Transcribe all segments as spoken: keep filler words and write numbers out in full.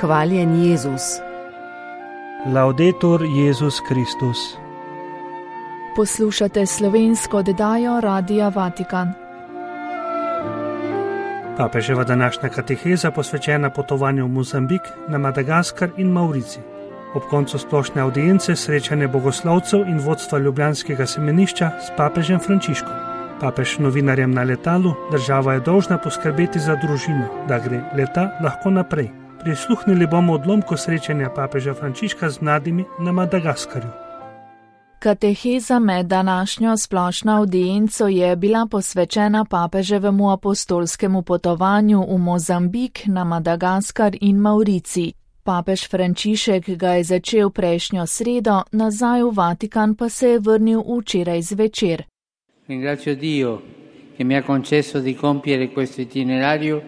Hvaljen Jezus. Laudetur Jezus Kristus. Poslušate slovensko oddajo Radia Vatikan. Papeževa današnja kateheza posvečena potovanju v Mozambik, na Madagaskar in Maurici. Ob koncu splošne avdience srečanje bogoslovcev in vodstva ljubljanskega semenišča s papežem Frančiškom. Papež novinarjem na letalu: država je dolžna poskrbeti za družino, da gre leta lahko naprej. Prisluhnili bomo odlomku srečanja papeža Frančiška z mladimi na Madagaskarju. Kateheza med današnjo splošno avdienco je bila posvečena papeževemu apostolskemu potovanju v Mozambik, na Madagaskar in Maurici. Papež Frančišek ga je začel prejšnjo sredo, nazaj v Vatikan pa se je vrnil včeraj zvečer. Ringrazio Dio che mi ha concesso di compiere questo itinerario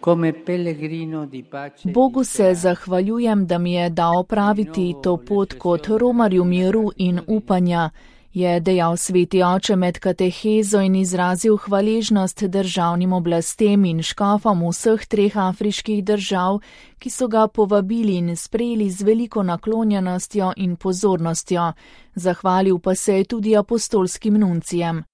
come pellegrino di pace. Bogu se zahvaljujem, da mi je dal opraviti to pot kot romarju miru in upanja, je dejal sveti oče med katehezo in izrazil hvaležnost državnim oblastem in škofom vseh treh afriških držav, ki so ga povabili in sprejeli z veliko naklonjenostjo in pozornostjo. Zahvalil pa se je tudi apostolskim nuncijem.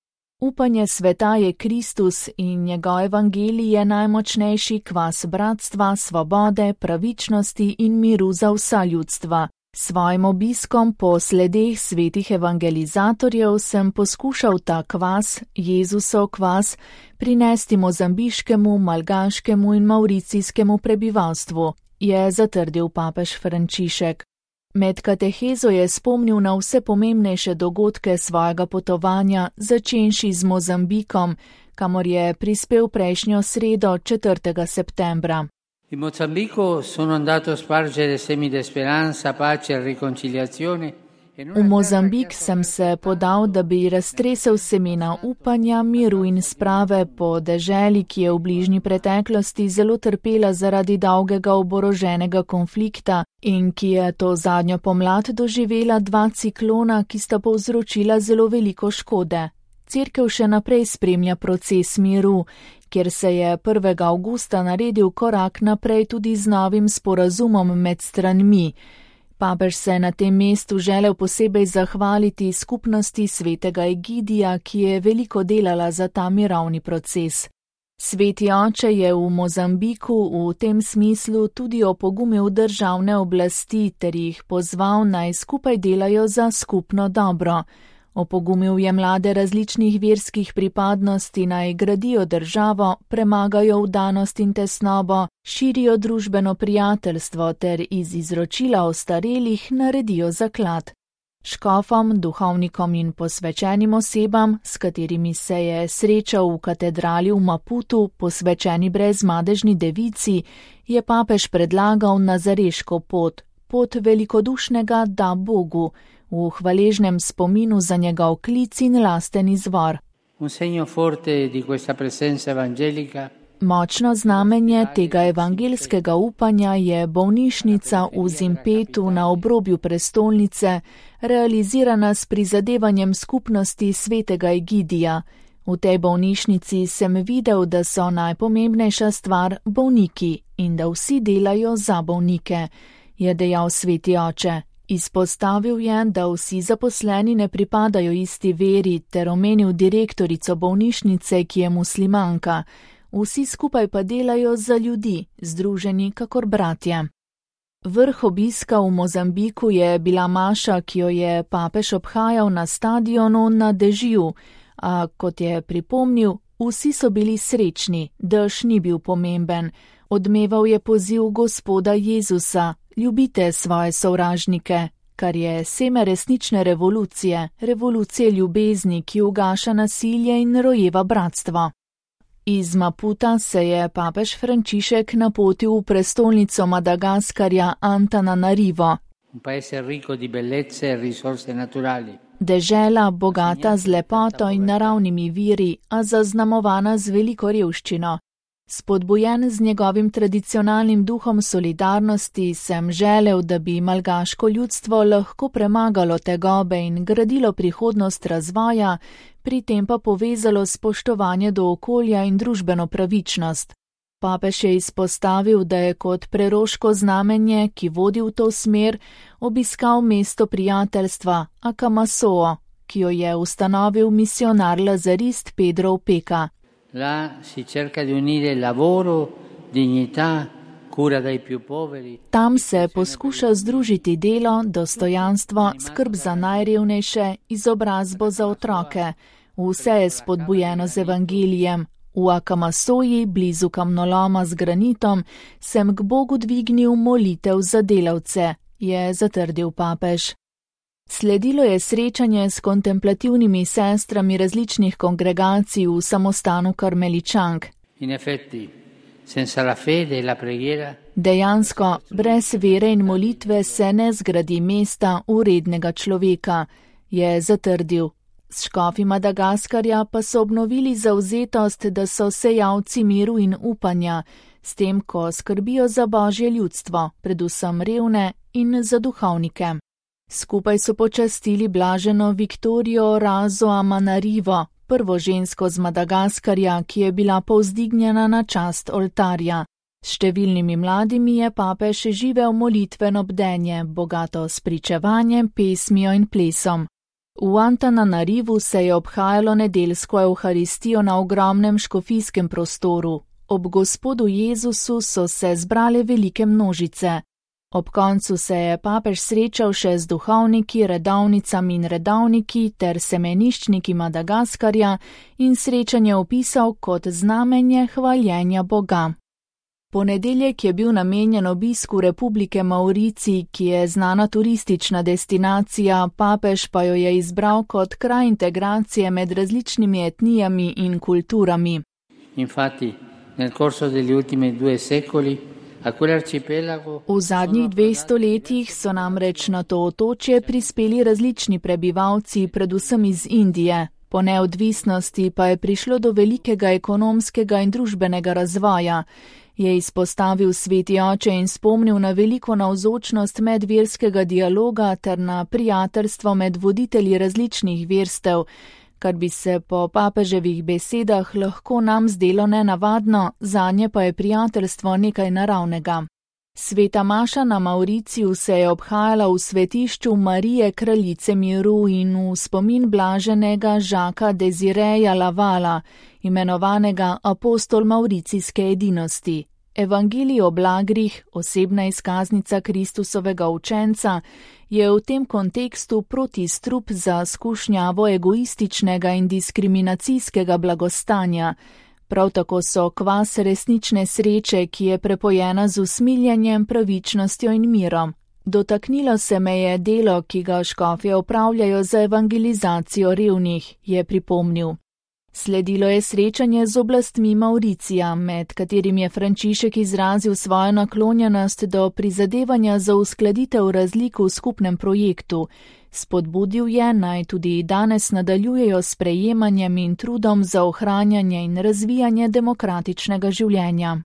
Upanje sveta je Kristus in njegov evangelij je najmočnejši kvas bratstva, svobode, pravičnosti in miru za vsa ljudstva. Svojim obiskom po sledeh svetih evangelizatorjev sem poskušal ta kvas, Jezusov kvas, prinesti mozambiškemu, malgaškemu in mauricijskemu prebivalstvu, je zatrdil papež Frančišek. Med katehezo je spomnil na vse pomembnejše dogodke svojega potovanja, začenši z Mozambikom, kamor je prispel prejšnjo sredo, četrtega septembra. In Mozambico sono andato a spargere semi di speranza, pace e riconciliazione. V Mozambik sem se podal, da bi raztresel semena upanja, miru in sprave po deželi, ki je v bližnji preteklosti zelo trpela zaradi dolgega oboroženega konflikta in ki je to zadnjo pomlad doživela dva ciklona, ki sta povzročila zelo veliko škode. Cerkev še naprej spremlja proces miru, kjer se je prvega avgusta naredil korak naprej tudi z novim sporazumom med stranmi. Papež se je na tem mestu želel posebej zahvaliti skupnosti svetega Egidija, ki je veliko delala za ta mirovni proces. Sveti oče je v Mozambiku v tem smislu tudi opogumil državne oblasti ter jih pozval, naj skupaj delajo za skupno dobro. Opogumil je mlade različnih verskih pripadnosti, naj gradijo državo, premagajo vdanost in tesnobo, širijo družbeno prijateljstvo ter iz izročila ostarelih naredijo zaklad. Škofom, duhovnikom in posvečenim osebam, s katerimi se je srečal v katedrali v Maputu, posvečeni brezmadežni devici, je papež predlagal nazareško pot, pot velikodušnega da Bogu, v hvaležnem spominu za njegov klic in lasten izvor. Močno znamenje tega evangelskega upanja je bolnišnica v Zimpetu na obrobju prestolnice, realizirana s prizadevanjem skupnosti svetega Egidija. V tej bolnišnici sem videl, da so najpomembnejša stvar bolniki in da vsi delajo za bolnike, je dejal sveti oče. Izpostavil je, da vsi zaposleni ne pripadajo isti veri, ter omenil direktorico bolnišnice, ki je muslimanka. Vsi skupaj pa delajo za ljudi, združeni kakor bratje. Vrh obiska v Mozambiku je bila maša, ki jo je papež obhajal na stadionu na dežju, a kot je pripomnil, vsi so bili srečni, dež ni bil pomemben. Odmeval je poziv Gospoda Jezusa: ljubite svoje sovražnike, kar je seme resnične revolucije, revolucije ljubezni, ki ugaša nasilje in rojeva bratstvo. Iz Maputa se je papež Frančišek napotil v prestolnico Madagaskarja Antananarivo. Dežela, bogata z lepoto in naravnimi viri, a zaznamovana z veliko revščino. Spodbujen z njegovim tradicionalnim duhom solidarnosti, sem želel, da bi malgaško ljudstvo lahko premagalo tegobe in gradilo prihodnost razvoja, pri tem pa povezalo spoštovanje do okolja in družbeno pravičnost. Papež je izpostavil, da je kot preroško znamenje, ki vodi v to smer, obiskal mesto prijateljstva Akamasoo, ki jo je ustanovil misionar lazarist Pedro Opeka. La si cerca di unire lavoro, dignità, cura dei più poveri. Tam se poskuša združiti delo, dostojanstvo, skrb za najrevnejše, izobrazbo za otroke. Vse je spodbujeno z evangelijem. V Akamasoji, blizu kamnoloma z granitom, sem k Bogu dvignil molitev za delavce, je zatrdil papež. Sledilo je srečanje s kontemplativnimi sestrami različnih kongregacij v samostanu Karmeličank. In effetti, senza la fede e la preghiera, dejansko, brez vere in molitve se ne zgradi mesta urednega človeka, je zatrdil. S škofi Madagaskarja pa so obnovili zavzetost, da so sejalci miru in upanja, s tem, ko skrbijo za božje ljudstvo, predvsem revne in za duhovnike. Skupaj so počastili blaženo Viktorijo Razo Amanarivo, prvo žensko z Madagaskarja, ki je bila povzdignjena na čast oltarja. S številnimi mladimi je papež živel molitveno bdenje, bogato s pričevanjem, pesmijo in plesom. V Antananarivu se je obhajalo nedeljsko evharistijo na ogromnem škofijskem prostoru. Ob Gospodu Jezusu so se zbrale velike množice. Ob koncu se je papež srečal še z duhovniki, redovnicami in redovniki ter semeniščniki Madagaskarja in srečanje opisal kot znamenje hvaljenja Boga. Ponedeljek je bil namenjen obisku Republike Mauricij, ki je znana turistična destinacija, papež pa jo je izbral kot kraj integracije med različnimi etnijami in kulturami. Infatti, nel corso degli ultimi due secoli, a quell'arcipelago v zadnjih dveh stoletjih so namreč na to otočje prispeli različni prebivalci, predvsem iz Indije. Po neodvisnosti pa je prišlo do velikega ekonomskega in družbenega razvoja, je izpostavil sveti oče in spomnil na veliko navzočnost medverskega dialoga ter na prijateljstvo med voditelji različnih verstev, kar bi se po papeževih besedah lahko nam zdelo nenavadno, zanje pa je prijateljstvo nekaj naravnega. Sveta maša na Mauriciju se je obhajala v svetišču Marije kraljice miru in v spomin blaženega Žaka Desireja Lavala, imenovanega apostol mauricijske edinosti. Evangelij o blagrih, osebna izkaznica Kristusovega učenca, je v tem kontekstu protistrup za skušnjavo egoističnega in diskriminacijskega blagostanja. Prav tako so kvas resnične sreče, ki je prepojena z usmiljenjem, pravičnostjo in mirom. Dotaknilo se me je delo, ki ga škofje opravljajo za evangelizacijo revnih, je pripomnil. Sledilo je srečanje z oblastmi Mauricija, med katerim je Frančišek izrazil svojo naklonjenost do prizadevanja za uskladitev razlik v skupnem projektu. Spodbudil je, naj tudi danes nadaljujejo s prejemanjem in trudom za ohranjanje in razvijanje demokratičnega življenja.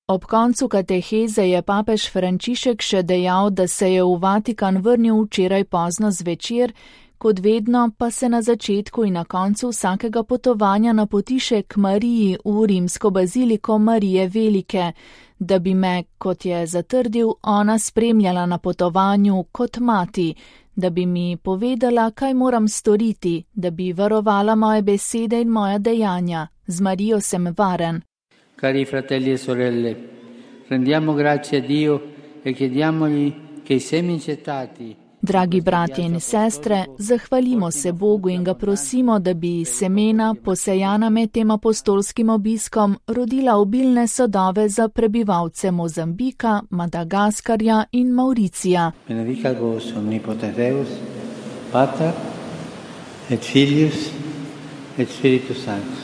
Ob koncu kateheze je papež Frančišek še dejal, da se je v Vatikan vrnil včeraj pozno zvečer, kot vedno pa se na začetku in na koncu vsakega potovanja napotiše k Mariji v rimsko baziliko Marije Velike, da bi me, kot je zatrdil, ona spremljala na potovanju kot mati, da bi mi povedala, kaj moram storiti, da bi varovala moje besede in moja dejanja. Z Marijo sem varen. Cari fratelli e sorelle, rendiamo grazie a Dio e chiediamogli che i semi gettati. Dragi bratje in sestre, zahvalimo se Bogu in ga prosimo, da bi semena, posejana med tem apostolskim obiskom, rodila obilne sadove za prebivalce Mozambika, Madagaskarja in Mauricija. Benedicat vos omnipotens Deus, Pater et Filius et Spiritus Sanctus.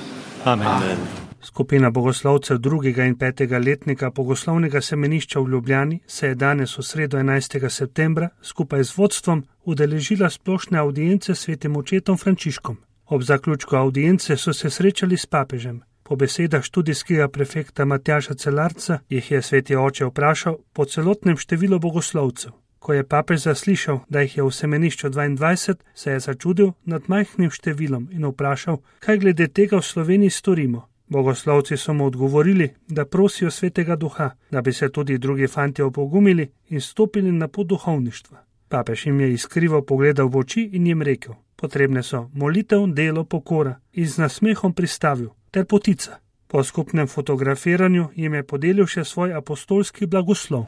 Amen. Amen. Skupina bogoslovcev drugega in petega letnika Bogoslovnega semenišča v Ljubljani se je danes v sredo enajstega septembra skupaj z vodstvom udeležila splošne avdience s svetim očetom Frančiškom. Ob zaključku avdience so se srečali s papežem. Po besedah študijskega prefekta Matjaža Celarca jih je sveti oče vprašal po celotnem številu bogoslovcev. Ko je papež zaslišal, da jih je v semenišču dvaindvajset, se je začudil nad majhnim številom in vprašal, kaj glede tega v Sloveniji storimo. Bogoslovci so mu odgovorili, da prosijo svetega duha, da bi se tudi drugi fantje opogumili in stopili na pot duhovništva. Papež jim je iskrivo pogledal v oči in jim rekel: potrebne so molitev, delo, pokora, in z nasmehom pristavil, ter potica. Po skupnem fotografiranju jim je podelil še svoj apostolski blagoslov.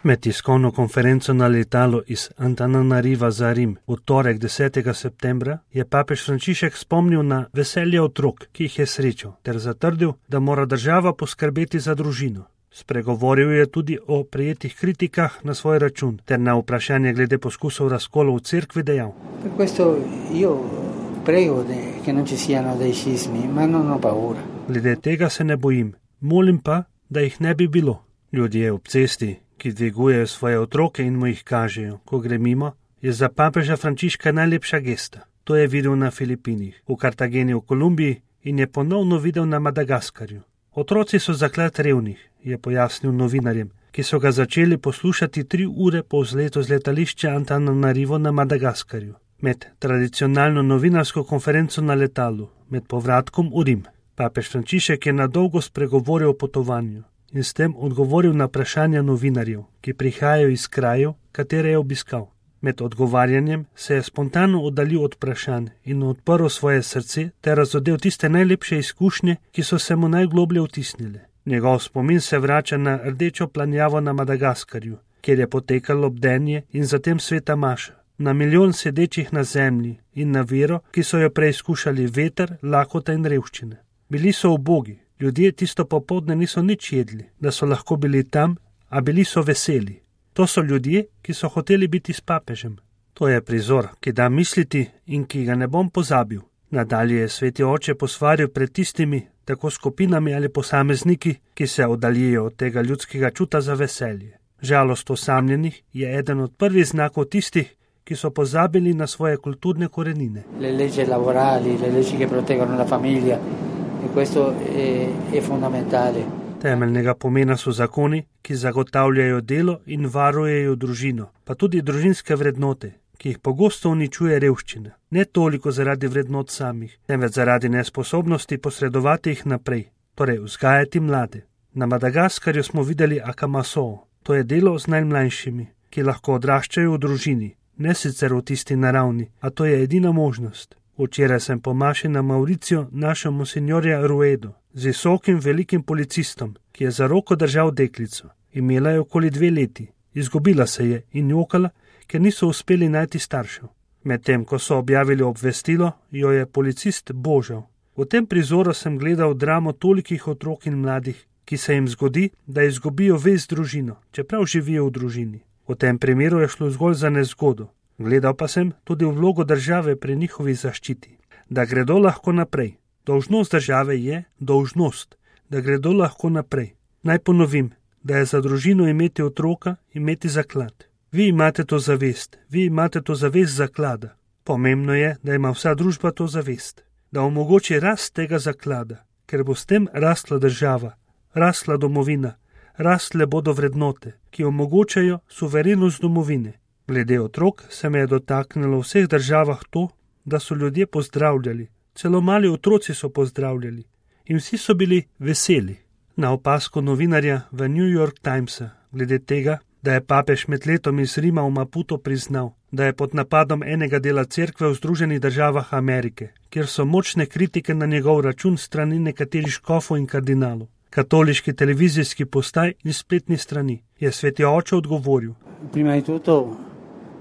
Med tiskovno konferenco na letalu iz Antananariva za Rim v torek desetega septembra je papež Frančišek spomnil na veselje otrok, ki jih je srečal, ter zatrdil, da mora država poskrbeti za družino. Spregovoril je tudi o prejetih kritikah na svoj račun, ter na vprašanje glede poskusov razkolov v cerkvi dejal: glede tega se ne bojim, molim pa, da jih ne bi bilo. Ljudje ob cesti, ki dvigujejo svoje otroke in mu jih kažejo, ko gre mimo, je za papeža Frančiška najlepša gesta. To je videl na Filipinih, v Kartageni v Kolumbiji in je ponovno videl na Madagaskarju. Otroci so zaklad revnih, je pojasnil novinarjem, ki so ga začeli poslušati tri ure po vzletu z letališča Antananarivo na Madagaskarju, med tradicionalno novinarsko konferenco na letalu, med povratkom v Rim. Papež Frančišek je na dolgo spregovoril o potovanju in s tem odgovoril na vprašanja novinarjev, ki prihajajo iz krajev, katere je obiskal. Med odgovarjanjem se je spontano oddaljil od vprašanj in odprl svoje srce ter razodel tiste najlepše izkušnje, ki so se mu najgloblje vtisnile. Njegov spomin se vrača na rdečo planjavo na Madagaskarju, kjer je potekalo bdenje in zatem sveta maša, na milijon sedečih na zemlji in na vero, ki so jo preizkušali veter, lakota in revščine. Bili so ubogi, ljudje tisto popoldne niso nič jedli, da so lahko bili tam, a bili so veseli. To so ljudje, ki so hoteli biti s papežem. To je prizor, ki da misliti in ki ga ne bom pozabil. Nadalje je sveti oče posvaril pred tistimi, tako skupinami ali posamezniki, ki se oddaljijo od tega ljudskega čuta za veselje. Žalost osamljenih je eden od prvih znakov tistih, ki so pozabili na svoje kulturne korenine. Le leggi laborali, le leggi che proteggono la famiglia, e questo è, è fondamentale. Temeljnega pomena so zakoni, ki zagotavljajo delo in varujejo družino, pa tudi družinske vrednote, ki jih pogosto uničuje revščina. Ne toliko zaradi vrednot samih, temveč zaradi nesposobnosti posredovati jih naprej, torej vzgajati mlade. Na Madagaskarju smo videli akamaso, to je delo z najmlajšimi, ki lahko odraščajo v družini, ne sicer v tisti naravni, a to je edina možnost. Včeraj sem po maši na Mauriciu našel monsignorja Ruedo, z visokim velikim policistom, ki je za roko držal deklico. Imela je okoli dve leti, izgubila se je in jokala, ker niso uspeli najti staršev. Medtem, ko so objavili obvestilo, jo je policist božal. V tem prizoru sem gledal dramo tolikih otrok in mladih, ki se jim zgodi, da izgubijo vez družino, čeprav živijo v družini. V tem primeru je šlo zgolj za nezgodo. Gledal pa sem tudi v vlogo države pri njihovi zaščiti, da gredo lahko naprej. Dolžnost države je dolžnost, da gredo lahko naprej. Naj ponovim, da je za družino imeti otroka, imeti zaklad. Vi imate to zavest, vi imate to zavest zaklada. Pomembno je, da ima vsa družba to zavest, da omogoči rast tega zaklada, ker bo s tem rastla država, rastla domovina, rastle bodo vrednote, ki omogočajo suverenost domovine. Glede otrok se me je dotaknilo v vseh državah to, da so ljudje pozdravljali, celo mali otroci so pozdravljali in vsi so bili veseli. Na opazko novinarja v New York Timesa glede tega, da je papež med letom iz Rima v Maputo priznal, da je pod napadom enega dela cerkve v Združenih državah Amerike, kjer so močne kritike na njegov račun strani nekaterih škofov in kardinalov, katoliški televizijski postaj in spletni strani, je sveti oče odgovoril: Prima di tutto,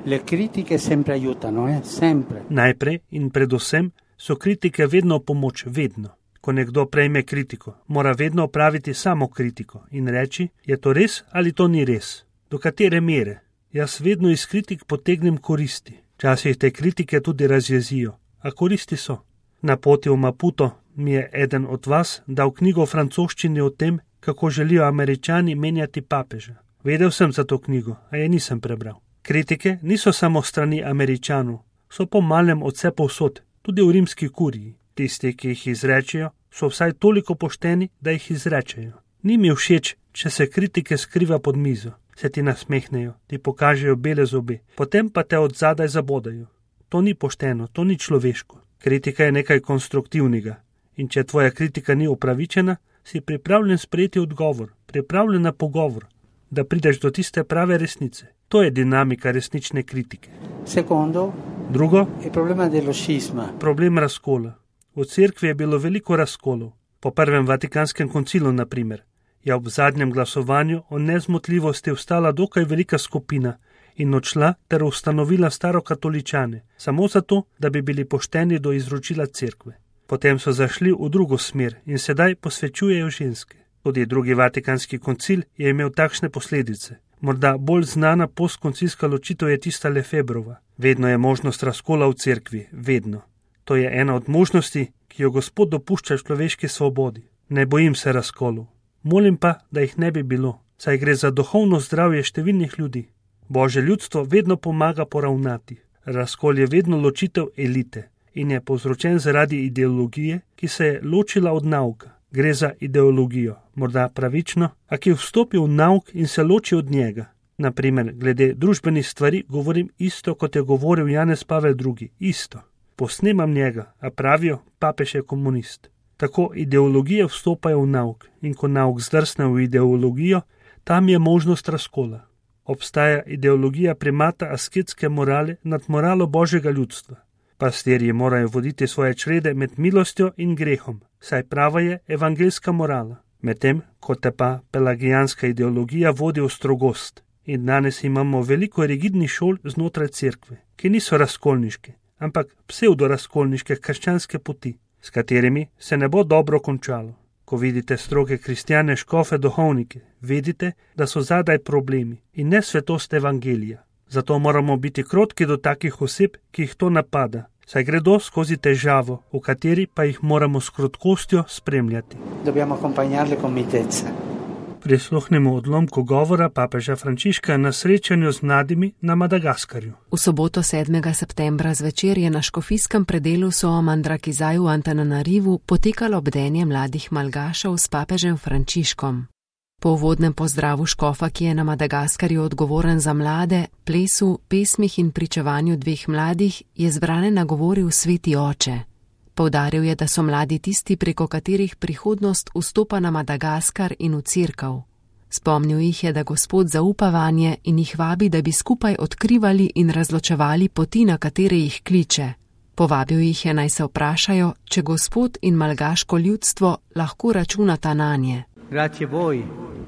le kritike sempre aiutano, eh? sempre. Najprej in predvsem so kritike vedno pomoč, vedno. Ko nekdo prejme kritiko, mora vedno opraviti samo kritiko in reči, je to res ali to ni res. Do katere mere? Jaz vedno iz kritik potegnem koristi. Včasih te kritike tudi razjezijo, a koristi so. Na poti v Maputo mi je eden od vas dal knjigo v francoščini o tem, kako želijo Američani menjati papeža. Vedel sem za to knjigo, a je nisem prebral. Kritike niso samo strani Američanov, so po malem od vse povsod, tudi v rimski kuriji. Tisti, ki jih izrečejo, so vsaj toliko pošteni, da jih izrečejo. Ni mi všeč, če se kritike skriva pod mizo, se ti nasmehnejo, ti pokažejo bele zobe, potem pa te od zadaj zabodajo. To ni pošteno, to ni človeško. Kritika je nekaj konstruktivnega in če tvoja kritika ni upravičena, si pripravljen sprejeti odgovor, pripravljen na pogovor, da prideš do tiste prave resnice. To je dinamika resnične kritike. Secondo, Drugo, il problema dello scisma. problem razkola. V cerkvi je bilo veliko razkolov. Po prvem Vatikanskem koncilu, na primer, je ob zadnjem glasovanju o nezmotljivosti vstala dokaj velika skupina in odšla ter ustanovila starokatoličane, samo zato, da bi bili pošteni do izročila cerkve. Potem so zašli v drugo smer in sedaj posvečujejo ženske. Tudi drugi Vatikanski koncil je imel takšne posledice. Morda bolj znana postkoncilska ločitev je tista Lefebrova. Vedno je možnost razkola v cerkvi, vedno. To je ena od možnosti, ki jo Gospod dopušča človeški svobodi. Ne bojim se razkolov. Molim pa, da jih ne bi bilo, saj gre za duhovno zdravje številnih ljudi. Božje ljudstvo vedno pomaga poravnati. Razkol je vedno ločitev elite in je povzročen zaradi ideologije, ki se je ločila od nauka. Gre za ideologijo, morda pravično, a ki vstopi v nauk in se loči od njega. Naprimer, glede družbenih stvari govorim isto, kot je govoril Janez Pavel drugi. Isto. Posnemam njega, a pravijo, papež je komunist. Tako ideologije vstopajo v nauk in ko nauk zdrsne v ideologijo, tam je možnost razkola. Obstaja ideologija primata asketske morale nad moralo Božjega ljudstva. Pastirji morajo voditi svoje črede med milostjo in grehom, saj prava je evangeljska morala, medtem ko te pa pelagijanska ideologija vodi v strogost. In danes imamo veliko rigidnih šol znotraj cerkve, ki niso razkolniške, ampak pseudorazkolniške krščanske poti, s katerimi se ne bo dobro končalo. Ko vidite stroge kristjane, škofe, duhovnike, vedite, da so zadaj problemi in ne svetost evangelija. Zato moramo biti krotki do takih oseb, ki jih to napada, saj gredo skozi težavo, v kateri pa jih moramo s krotkostjo spremljati. Dobbiamo accompagnarle con mitezza. Prisluhnemo odlomku govora papeža Frančiška na srečanju z mladimi na Madagaskarju. V soboto sedmega septembra zvečer je na škofijskem predelu Soamandrakizaju v Antananarivu potekalo bdenje mladih malgašev s papežem Frančiškom. Po uvodnem pozdravu škofa, ki je na Madagaskarju odgovoren za mlade, plesu, pesmih in pričevanju dveh mladih, je zbrane nagovoril sveti oče. Poudaril je, da so mladi tisti, preko katerih prihodnost vstopa na Madagaskar in v cerkev. Spomnil jih je, da Gospod zaupa vanje in jih vabi, da bi skupaj odkrivali in razločevali poti, na katere jih kliče. Povabil jih je, naj se vprašajo, če Gospod in malgaško ljudstvo lahko računata nanje. Grazie voi,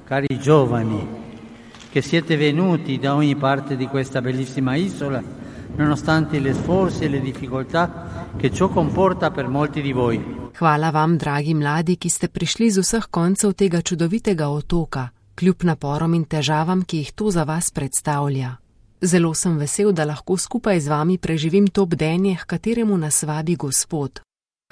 cari giovani, che siete venuti da ogni parte di questa bellissima isola, nonostante le sforzi e le difficoltà che ciò comporta per molti di voi. Hvala vam, dragi mladi, ki ste prišli z vseh koncev tega čudovitega otoka, kljub naporom in težavam, ki jih to za vas predstavlja. Zelo sem vesel, da lahko skupaj z vami preživim to bdenje, h kateremu nas vabi Gospod.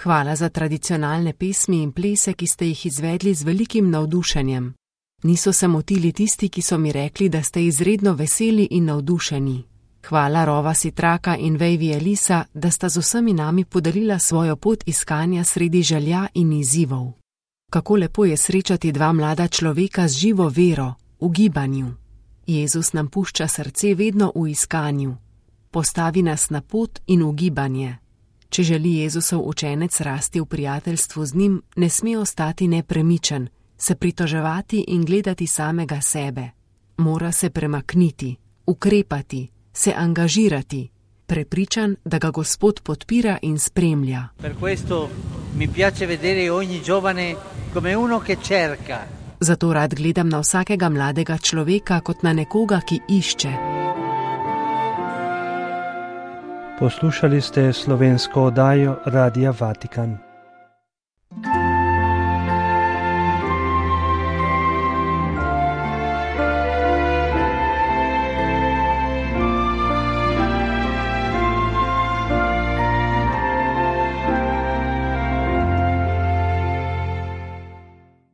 Hvala za tradicionalne pesmi in plese, ki ste jih izvedli z velikim navdušenjem. Niso se motili tisti, ki so mi rekli, da ste izredno veseli in navdušeni. Hvala Rova Sitraka in Vejvi Elisa, da sta z vsemi nami podarila svojo pot iskanja sredi želja in izzivov. Kako lepo je srečati dva mlada človeka z živo vero, v gibanju. Jezus nam pušča srce vedno v iskanju. Postavi nas na pot in v gibanje. Če želi Jezusov učenec rasti v prijateljstvu z njim, ne sme ostati nepremičen, se pritoževati in gledati samega sebe. Mora se premakniti, ukrepati, se angažirati, prepričan, da ga Gospod podpira in spremlja. Per questo mi piace vedere ogni giovane come uno che cerca. Zato rad gledam na vsakega mladega človeka kot na nekoga, ki išče. Poslušali ste slovensko oddajo Radia Vatikan.